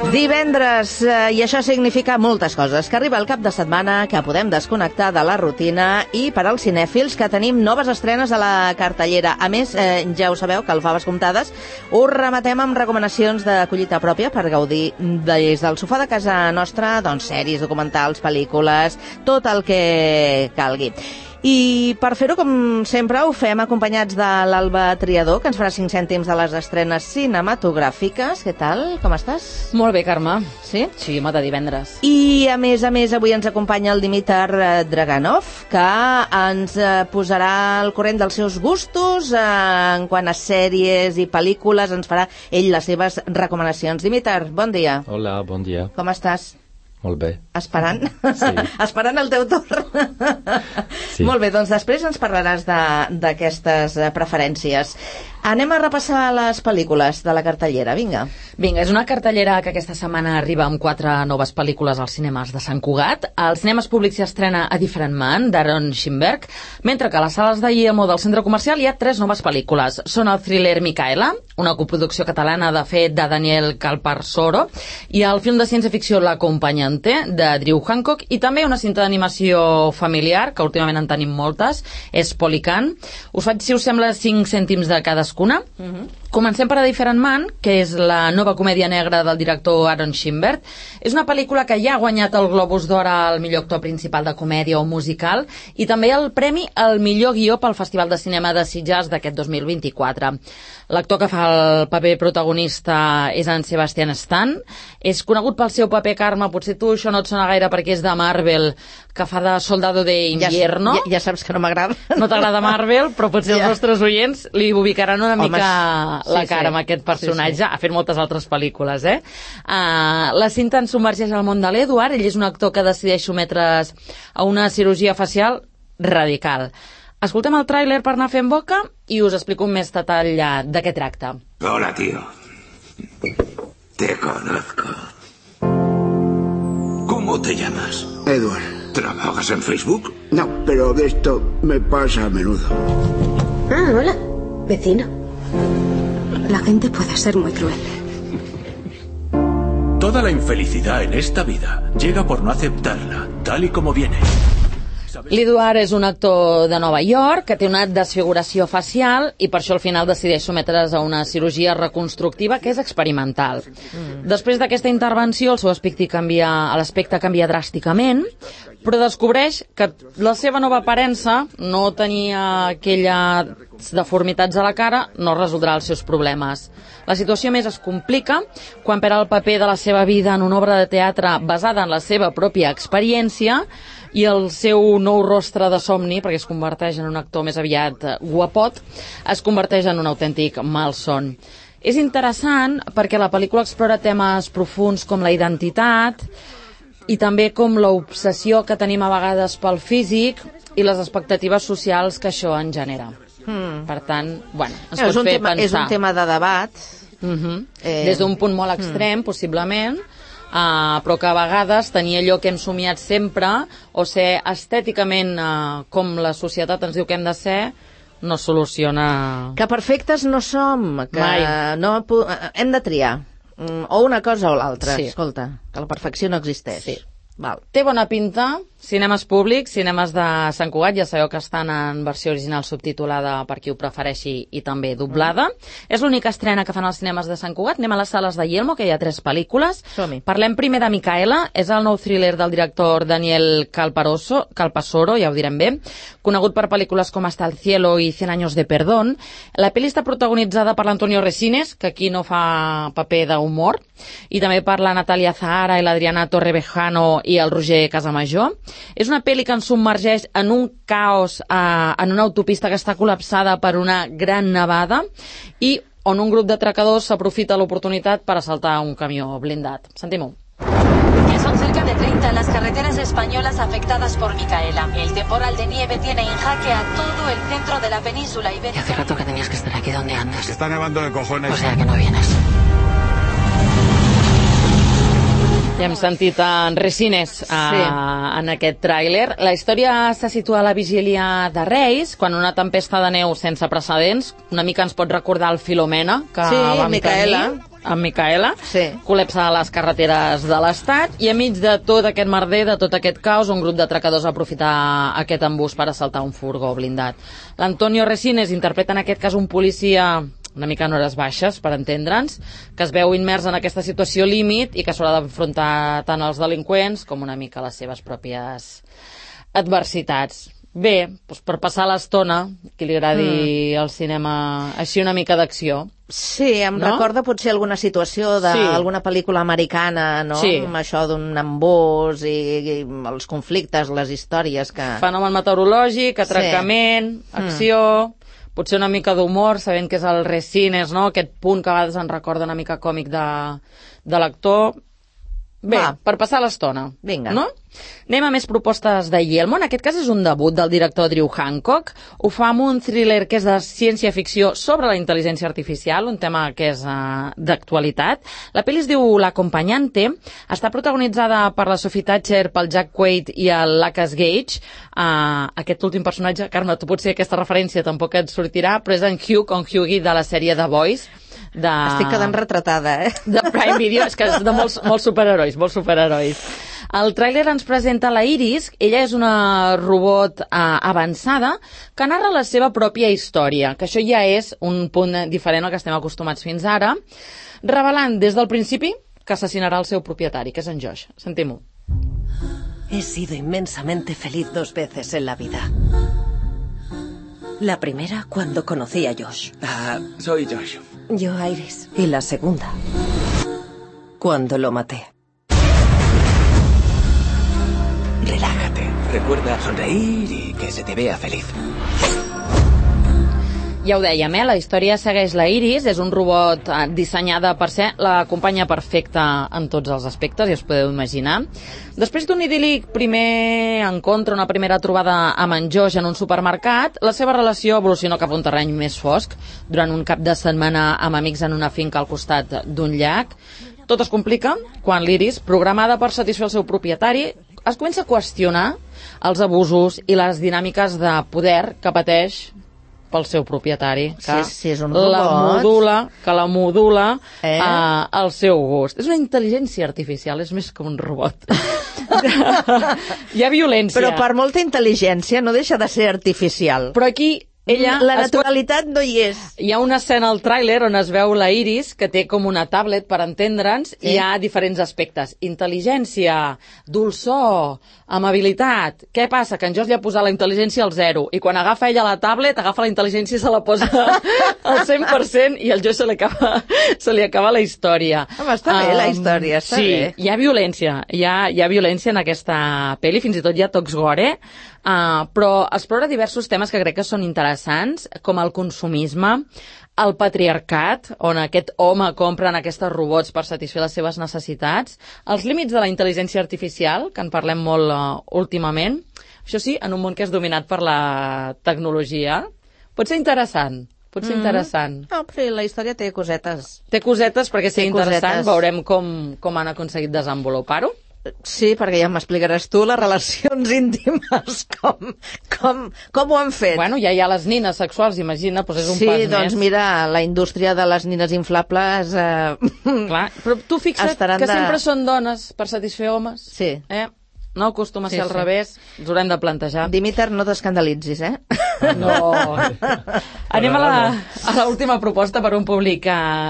Divendres, i això significa moltes coses, que arriba el cap de setmana, que podem desconnectar de la rutina, i per als cinèfils que tenim noves estrenes a la cartellera. A més, ja ho sabeu, que al Faves Comptades us rematem amb recomanacions de collita pròpia per gaudir des del sofà de casa nostra, doncs sèries, documentals, pel·lícules, tot el que calgui. I per fer-ho, com sempre, ho fem acompanyats de l'Alba Triador, que ens farà 5 cèntims de les estrenes cinematogràfiques. Què tal? Com estàs? Molt bé, Carme. Sí? Sí, home, de divendres. I, a més, avui ens acompanya el Dimitar Draganov, que ens posarà al corrent dels seus gustos en quant a sèries i pel·lícules. Ens farà ell les seves recomanacions. Dimitar, bon dia. Hola, bon dia. Com estàs? Molt bé. Esperant? Sí. Esperant el teu torn? Sí. Molt bé, doncs després ens parlaràs d'aquestes preferències. Anem a repassar les pel·lícules de la cartellera, vinga. Vinga, és una cartellera que aquesta setmana arriba amb 4 noves pel·lícules als cinemes de Sant Cugat. Als cinemes públics s'hi estrena A Different Man, d'Aaron Schimberg, mentre que a les sales de Guillermo del centre comercial hi ha 3 noves pel·lícules. Són el thriller Micaela, una coproducció catalana de fet de Daniel Calparsoro, i el film de ciència-ficció L'Acompanyante, de Drew Hancock, i també una cinta d'animació familiar, que últimament en tenim moltes, és Polycan. Us faig, si us sembla, 5 cèntims de cadascuna. Comencem per A Different Man, que és la nova comèdia negra del director Aaron Schimberg. És una pel·lícula que ja ha guanyat el Globus d'Or al millor actor principal de comèdia o musical i també el premi al millor guió pel Festival de Cinema de Sitges d'aquest 2024. L'actor que fa el paper protagonista és en Sebastian Stan. És conegut pel seu paper, Carme, potser tu això no et sona gaire perquè és de Marvel, que fa de Soldado de Invierno. Ja saps que no m'agrada. No t'agrada Marvel, però potser els nostres oients li ubicaran una mica la cara amb aquest personatge. Ha fet moltes altres pel·lícules, la cinta ens submergeix al món de l'Edward. Ell és un actor que decideix sotmetre's a una cirurgia facial radical. Escoltem el tràiler per anar fent boca i us explico amb més detall de què tracta. Hola, tío. Te conozco. ¿Cómo te llamas? Edward. ¿Trabajas en Facebook? No, pero de esto me pasa a menudo. Ah, hola. Vecino. La gente puede ser muy cruel. Toda la infelicidad en esta vida llega por no aceptarla, tal y como viene. L'Edward és un actor de Nova York que té una desfiguració facial i per això al final decideix sotmetre's a una cirurgia reconstructiva que és experimental. Després d'aquesta intervenció el seu aspecte canvia dràsticament, però descobreix que la seva nova aparença, no tenia aquelles deformitats a la cara, no resoldrà els seus problemes. La situació més es complica quan perd el paper de la seva vida en una obra de teatre basada en la seva pròpia experiència i el seu nou rostre de somni, perquè es converteix en un actor més aviat guapot, es converteix en un autèntic malson. És interessant perquè la pel·lícula explora temes profuns com la identitat i també com l'obsessió que tenim a vegades pel físic i les expectatives socials que això en genera. Per tant, ens pot fer pensar. És un tema de debat. Des d'un punt molt extrem, possiblement, però que a vegades tenir allò que hem somiat sempre o ser estèticament com la societat ens diu que hem de ser no soluciona... Que perfectes no som, que hem de triar o una cosa o l'altra. Escolta, que la perfecció no existeix. Té bona pinta. Cinemes públics, cinemes de Sant Cugat, ja sabeu que estan en versió original subtitulada per qui ho prefereixi i també doblada. És l'única estrena que fan als cinemes de Sant Cugat. Anem a les sales de Guillermo, que hi ha 3 pel·lícules. Parlem primer de Micaela, és el nou thriller del director Daniel Calparsoro, ja ho direm bé, conegut per pel·lícules com Hasta el cielo i 100 años de perdón. La pel·li està protagonitzada per l'Antonio Resines, que aquí no fa paper d'humor, i també per la Natalia Zahara i l'Adriana Torrevejano i el Roger Casamajor. És una pel·li que ens submergeix en un caos en una autopista que està col·lapsada per una gran nevada i on un grup d'atracadors s'aprofita l'oportunitat per assaltar un camió blindat. Sentim-ho. Ya son cerca de 30 las carreteras españolas afectadas por Micaela. El temporal de nieve tiene en jaque a todo el centro de la península ibérica. Hace rato que tenías que estar aquí. ¿Dónde andas? Está nevando de cojones. O sea que no vienes. Ja Hem sentit en Resines en aquest tràiler. La història se situa a la vigília de Reis, quan una tempesta de neu sense precedents, una mica ens pot recordar el Filomena, que vam tenir amb Micaela, col·lapsa les carreteres de l'Estat, i enmig de tot aquest merder, de tot aquest caos, un grup d'atracadors va aprofitar aquest embús per assaltar un furgó blindat. L'Antonio Resines interpreta en aquest cas un policia una mica en hores baixes, per entendre'ns, que es veu immers en aquesta situació límit i que s'haurà d'enfrontar tant als delinqüents com una mica les seves pròpies adversitats. Bé, doncs per passar l'estona, qui li agradi el cinema així una mica d'acció. Sí, em recorda potser alguna situació d'alguna pel·lícula americana, no? Sí. Amb això d'un embús i els conflictes, les històries que... Fenomen meteorològic, atracament, acció... Potser una mica d'humor, sabent que és el Resines, no? Aquest punt que a vegades ens recorda una mica còmic de l'actor. Bé, per passar l'estona. Vinga. No? Anem a més propostes de Yelmo. En aquest cas és un debut del director Drew Hancock. Ho fa amb un thriller que és de ciència-ficció sobre la intel·ligència artificial, un tema que és d'actualitat. La pel·li es diu L'Acompanyante. Està protagonitzada per la Sophie Thatcher, pel Jack Quaid i el Lucas Gage. Aquest últim personatge, Carme, tu potser aquesta referència tampoc et sortirà, però és en Hughie de la sèrie The Boys. Estic quedant retratada, de Prime Video, és que és de molts superherois. El tràiler ens presenta la Iris. Ella és una robot avançada que narra la seva pròpia història, que això ja és un punt diferent al que estem acostumats fins ara, revelant des del principi que assassinarà el seu propietari, que és en Josh. Sentim-ho. He sido inmensamente feliz 2 veces en la vida. La primera cuando conocí a Josh. Soy Josh. Yo a Iris. Y la segunda cuando lo maté. Relájate. Recuerda sonreír y que se te vea feliz. Ja ho dèiem, la història segueix la Iris, és un robot dissenyada per ser la companya perfecta en tots els aspectes, ja us podeu imaginar. Després d'un idíl·lic primer encontre, una primera trobada amb en Josh en un supermercat, la seva relació evoluciona cap a un terreny més fosc, durant un cap de setmana amb amics en una finca al costat d'un llac. Tot es complica quan l'Iris, programada per satisfer el seu propietari, es comença a qüestionar els abusos i les dinàmiques de poder que pateix pel seu propietari, que és un robot. la modula al seu gust. És una intel·ligència artificial, és més que un robot. Hi ha violència. Però per molta intel·ligència no deixa de ser artificial. Però aquí ella... La naturalitat no hi és. Hi ha una escena al tràiler on es veu la Iris, que té com una tablet per entendre'ns, i hi ha diferents aspectes. Intel·ligència, dolçor, amabilitat. Què passa? Que en Josh li ha posat la intel·ligència al 0, i quan agafa ella la tablet, agafa la intel·ligència i se la posa al 100%, i al Josh se li acaba la història. Home, està bé la història, està bé. Sí, hi ha violència. Hi ha violència en aquesta pel·li, fins i tot hi ha tocs gore, però explora diversos temes que crec que són interessants, com el consumisme, el patriarcat, on aquest home compra aquests robots per satisfer les seves necessitats, els límits de la intel·ligència artificial, que en parlem molt últimament, això sí, en un món que és dominat per la tecnologia. Pot ser interessant. No, però la història té cosetes. Té cosetes perquè sigui interessant, veurem com han aconseguit desenvolupar-ho. Sí, perquè ja m'explicaràs tu les relacions íntimes, com ho han fet. Bueno, ja hi ha les nines sexuals, imagina, doncs és un pas més. Sí, doncs mira, la indústria de les nines inflables... Clar, però tu fixa't que sempre són dones per satisfer homes. Sí. No acostuma a ser al revés, ens haurem de plantejar. Dimiter, no t'escandalitzis, No. Anem a l'última proposta per un públic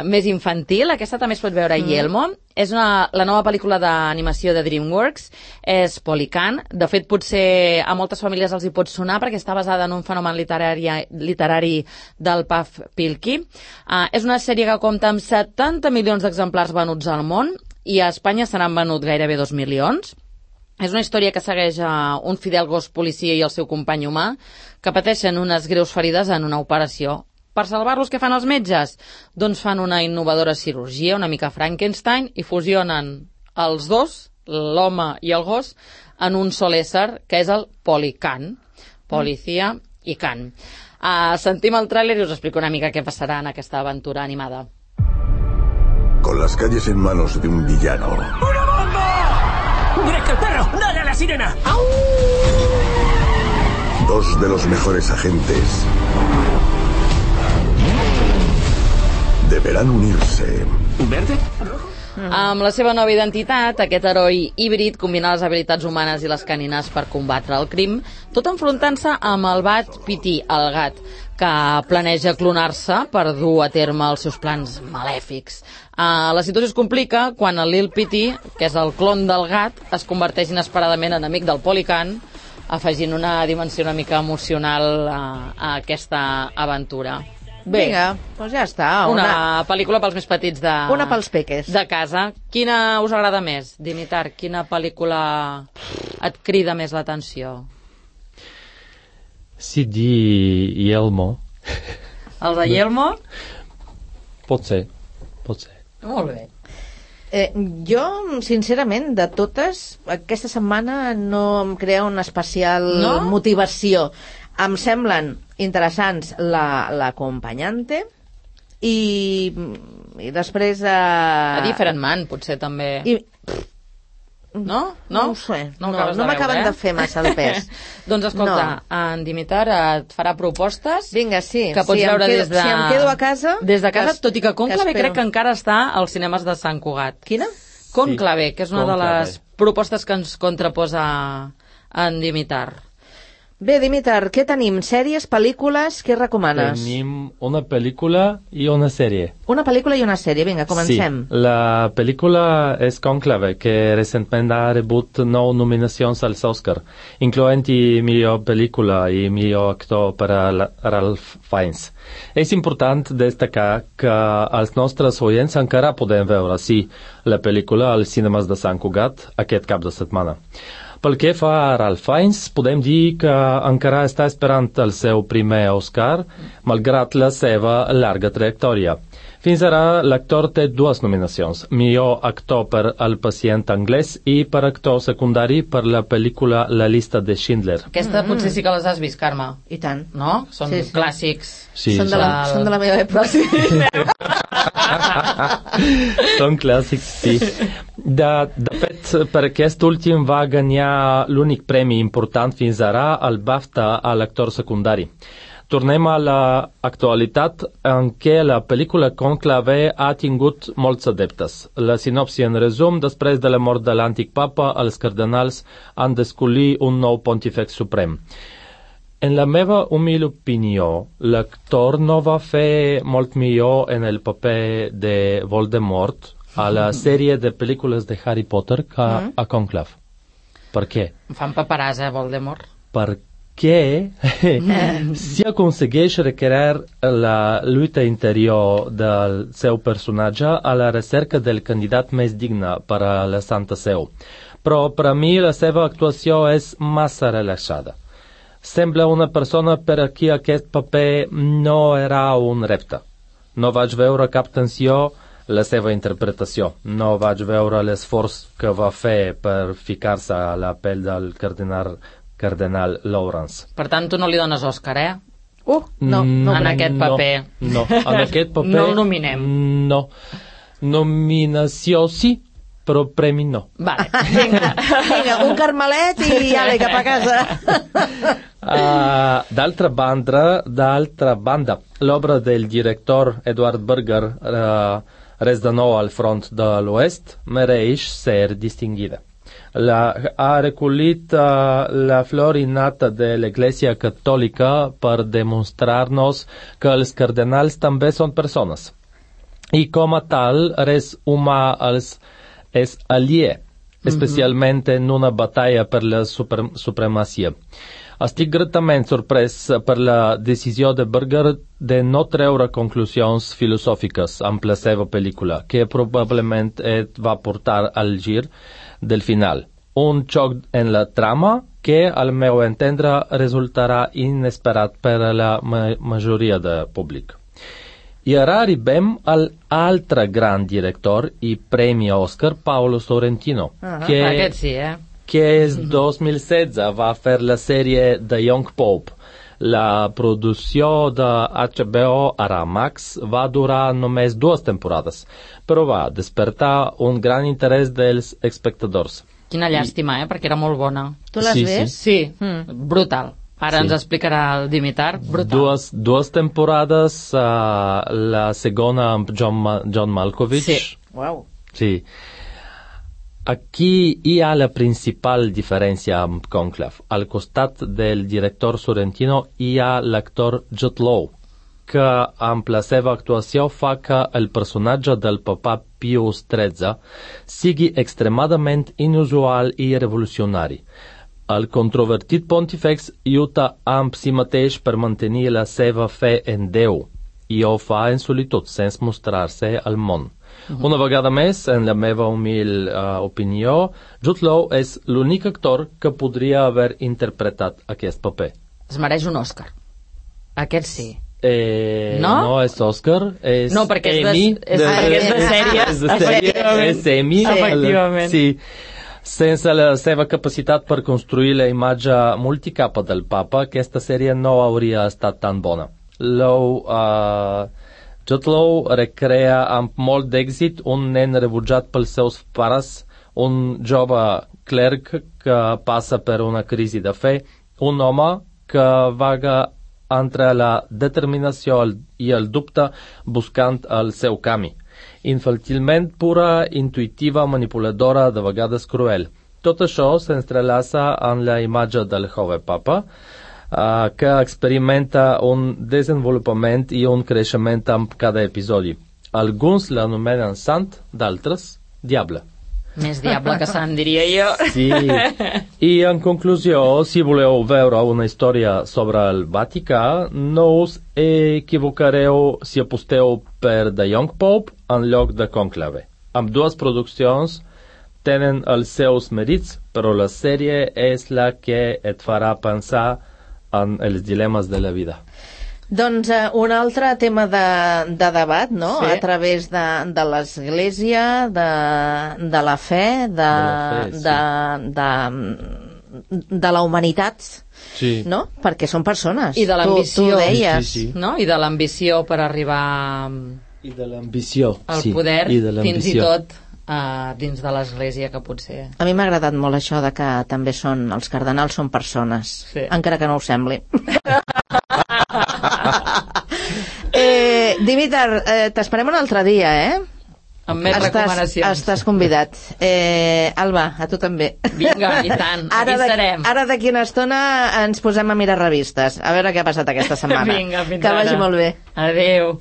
més infantil. Aquesta també es pot veure a Yelmo. És la nova pel·lícula d'animació de DreamWorks. És Polycan. De fet, potser a moltes famílies els hi pot sonar perquè està basada en un fenomen literari del Puff Pilky. És una sèrie que compta amb 70 milions d'exemplars venuts al món i a Espanya se n'han venut gairebé 2 milions. És una història que segueix un fidel gos policia i el seu company humà que pateixen unes greus ferides en una operació. Per salvar-los, què fan els metges? Doncs fan una innovadora cirurgia, una mica Frankenstein, i fusionen els dos, l'home i el gos, en un sol ésser, que és el Polycan. Policia i can. Sentim el tràiler i us explico una mica què passarà en aquesta aventura animada. Con las calles en manos de un villano. ¡Una bomba! ¡Greg, el perro! ¡Dale a la sirena! Dos de los mejores agentes deberán unirse. ¿Verde? Amb la seva nova identitat, aquest heroi híbrid combina les habilitats humanes i les canines per combatre el crim, tot enfrontant-se amb el Bat Piti, el gat, que planeja clonar-se per dur a terme els seus plans malèfics. La situació es complica quan el Lil Piti, que és el clon del gat, es converteix inesperadament en amic del Polican, afegint una dimensió una mica emocional a aquesta aventura. Bé, vinga, doncs ja està. una pel·lícula pels més petits Una pels peques. de casa. Quina us agrada més, Dimitar? Quina pel·lícula et crida més l'atenció? Si di Yelmo. El de Yelmo? Pot ser. Molt bé. Jo, sincerament, de totes, aquesta setmana no em crea una especial motivació. Em semblen interessants l'acompanyante i després... A Different Man, potser també. No? No ho sé. No m'acaben de fer massa de pes. Doncs escolta, en Dimitar et farà propostes. Vinga, sí. Que pots veure des de... Si em quedo a casa... Des de casa, tot i que Conclave crec que encara està als cinemes de Sant Cugat. Quina? Conclave, que és una de les propostes que ens contraposa en Dimitar. Bé, Dimitar, què tenim? Sèries, pel·lícules, què recomanes? Tenim una pel·lícula i una sèrie. Una pel·lícula i una sèrie, vinga, comencem. Sí, la pel·lícula és Conclave, que recentment ha rebut 9 nominacions als Oscar, incloent-hi millor pel·lícula i millor actor per a Ralph Fiennes. És important destacar que els nostres oients encara podem veure, sí, la pel·lícula als cinemes de Sant Cugat aquest cap de setmana. Pel que fa a Ralph Fiennes, podem dir que encara està esperant el seu primer Oscar, malgrat la seva llarga trajectòria. Fins ara, l'actor té 2 nominacions, millor actor per El pacient anglès i per actor secundari per la pel·lícula La llista de Schindler. Aquesta potser sí que les has vist, Carme. I tant. No? Són clàssics. Sí, són de la meva època. Són clàssics, sí. De fet, per aquest últim va guanyar l'únic premi important fins ara, el BAFTA a l'actor secundari. Tornem a l'actualitat en què la pel·lícula Conclave ha tingut molts adeptes. La sinopsi en resum, després de la mort de l'antic papa, els cardenals han d'escollir un nou pontífex suprem. En la meva humil opinió, l'actor no va fer molt millor en el paper de Voldemort a la sèrie de pel·lícules de Harry Potter que a Conclave. Per què? Em fan paperàs, Voldemort. Perquè si aconsegueix recrear la lluita interior del seu personatge a la recerca del candidat més digne per a la Santa Seu. Però per a mi la seva actuació és massa relaxada. Sembla una persona per a qui aquest paper no era un repte. No vaig veure cap tensió la seva interpretació. No vaig veure l'esforç que va fer per ficar-se a la pell del cardenal Lawrence. Per tant, tu no li dones Òscar, No. En aquest paper. No, en aquest paper... No el nominem. No. Nominació sí, però premi no. Vale. Vinga, un carmelet i ale, cap a casa. D'altra banda, l'obra del director Edward Berger, Res de nou al front de l'Oest, mereix ser distinguida. Ha recollit la flor innata de l'Església Catòlica per demostrar-nos que els cardenals també són persones. I com a tal, res humà els és aliè, especialment en una batalla per la supremacia. Estic gratament sorprès per la decisió de Berger de no treure conclusions filosòfiques amb la seva pel·lícula, que probablement et va portar al gir del final. Un xoc en la trama que, al meu entendre, resultarà inesperat per a la majoria del públic. I ara arribem a l'altre gran director i premi Oscar, Paolo Sorrentino, Aquest sí, que és 2016 va fer la sèrie The Young Pope. La producció de HBO a Max va durar només 2 temporades, però va despertar un gran interès dels espectadors. Quina llàstima, perquè era molt bona. Tu l'has vist? Sí, brutal. Ara ens explicarà el Dimitar. Brutal. Dues temporades, la segona amb John Malkovich. Sí. Wow. Sí. Aquí hi ha la principal diferència amb Conclave. Al costat del director Sorrentino hi ha l'actor Jude Law, que amb la seva actuació fa que el personatge del papa Pius XIII sigui extremadament inusual i revolucionari. El controvertit pontífex lluita amb si mateix per mantenir la seva fe en Déu i ho fa en solitud, sense mostrar-se al món. Una vegada més, en la meva humil opinió, Jude Law és l'únic actor que podria haver interpretat aquest paper. Es mereix un Òscar. Aquest sí. No? No és Òscar, és no, perquè Emmy. És de sèrie. És Emmy. Efectivament. Sí. Sense la seva capacitat per construir la imatge multicapa del papa, aquesta sèrie no hauria estat tan bona. Jude Law recrea amb molt d'èxit un nen rebutjat pels seus pares, un jove clerc que passa per una crisi de fe, un home que vaga entre la determinació i el dubte buscant el seu camí. Infantilment pura, intuitiva, manipuladora, de vegades cruel. Tot això s'entrelaça en la imatge del jove papa, que experimenta un desenvolupament i un creixement amb cada episodi. Alguns l'anomenen sant, d'altres, diable. Més diable que sant, diria jo. Sí. I en conclusió, si voleu veure una història sobre el Vaticà, no us equivocareu si aposteu per The Young Pope en lloc de Conclave. Amb dues produccions tenen els seus mèrits, però la sèrie és la que et farà pensar en els dilemes de la vida. Doncs un altre tema de debat, no? Sí. A través de l'Església, de la fe, de la humanitat, sí. No? Perquè són persones. I de l'ambició. Tu deies. Sí. No? I de l'ambició per arribar I de l'ambició. al poder, fins i tot dins de l'Església, que potser... A mi m'ha agradat molt això de que també els cardenals són persones, sí. Encara que no ho sembli. Dimitar, t'esperem un altre dia, Amb més recomanacions. Estàs convidat. Alba, a tu també. Vinga, i tant, aquí serem. Ara d'aquí una estona ens posem a mirar revistes, a veure què ha passat aquesta setmana. Vinga, fins que ara. vagi molt bé. Adéu.